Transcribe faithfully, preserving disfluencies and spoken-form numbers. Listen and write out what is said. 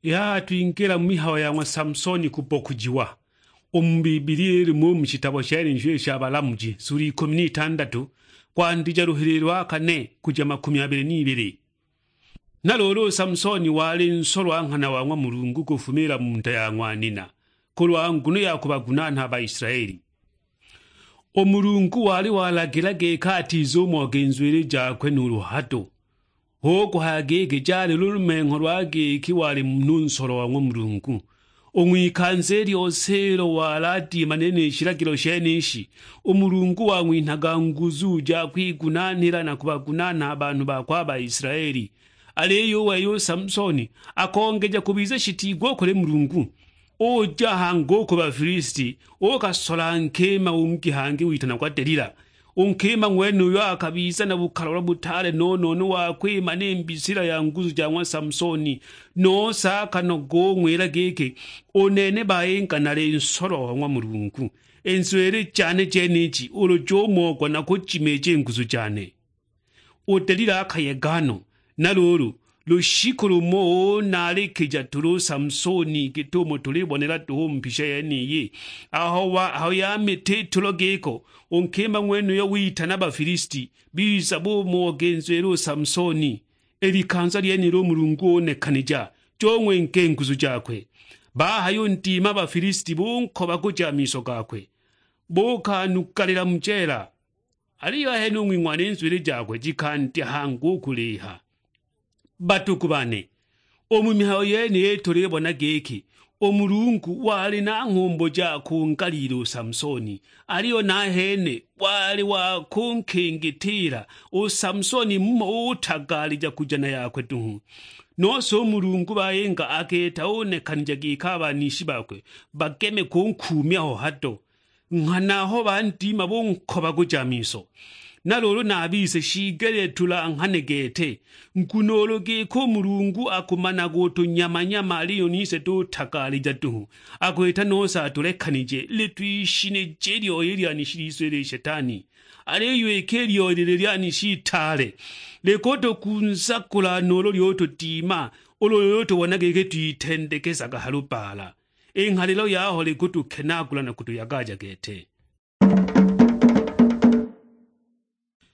I haha twingila mu mihayo ya ng'wa Samsoni kubokujiwa. U mu Bibilia ilimo u mu shitabo shenisho i sha Balamuji, sula ikumi n'itandatu, kwandija luhili lwa kane kuja makumi abili n'ibili. Na luulu u Samsoni wali nsolwa nghana wa ng'wa Mulungu kufumila mu nda ya ng'wanina, kulwa nguno ya kubagunanha a Baisilaeli. U Mulungu wali walagila giki atizumoge nzwili jakwe nuulu hado. Hu kuhaya giki jali lulumengho lwa giki wali munhu nsolwa wa ng'wa Mulungu. U ng'wikanza i lyose ilo wali adimane ni shilagilo shenishi, u Mulungu wang'winhaga nguzu ja kwigunanhila na kubagunanha a banhu bakwe a Baisilaeli. Aliyo u wei u Samsoni akongeja kubiza shitiigwa u kuli Mulungu. Uja hangi u ku Bafilisiti, ukasola nkima ungi hangi witanagwa Delila. U nkima ng'wenuyo akabiza na bukalolo butaale no-no-no wa kwimana i mbisila ya nguzu ja ng'wa Samsoni, nose akanoga ung'wila giki, "U nene bayinga nali nsolwa wa ng'wa Mulungu, i nzwili jane jeniji ulu jumogwa nakujimeeja i nguzu jane." U Delila akayega no, na luulu, lushiku lumo unaalikija tuli u Samsoni git'umo tulibonela duhu u mu mbisha yeniyi. Aho wa-, aho yamita i tulo giko, u nkima ng'wenuyo witana Bafilisiti, biza bumuoga i nzwili u Samsoni. I likanza lyenilo u Mulungu unekanija, jung'wenga i nguzu jakwe. Bahayundima a Bafilisiti bunkobaguja a miso gakwe, bukanugalila mu jeela. Aliyo ahene u ng'wing'wana i nzwili jakwe jikandya hangi u kuliiha. Badugu bane, u mu mihayo yeniyi tulibona giki u Mulungu wali na nghumbu ja kungaliila u Samsoni, aliyo nahene wali wa kunkingitiila u Samsoni mumo utagaalija kuja na yakwe duhu. Nose u Mulungu bayinga aketa unekanija giki a banishi bakwe bageme kunkuumya ho hado. Nghana aho bandima bunkobaguja a miso. Na luulu na a bise shiigelile tulanghane gete, nguno ulu giki u Mulungu akumanaga utunyamanyama aliyo nise tutagaalija duhu, akwita nose atulekanije, ili twishinije i lyoya i lyanishi lyise ili Shetani. Aliyo iki i lyoya ili lyanishi itaale likutukunzagula nuulu lyutudima, ulu lyutubona giki twitendekesaga ha lubaala. I nghalilo yaho likutukenaagula na kutuyagaja gete.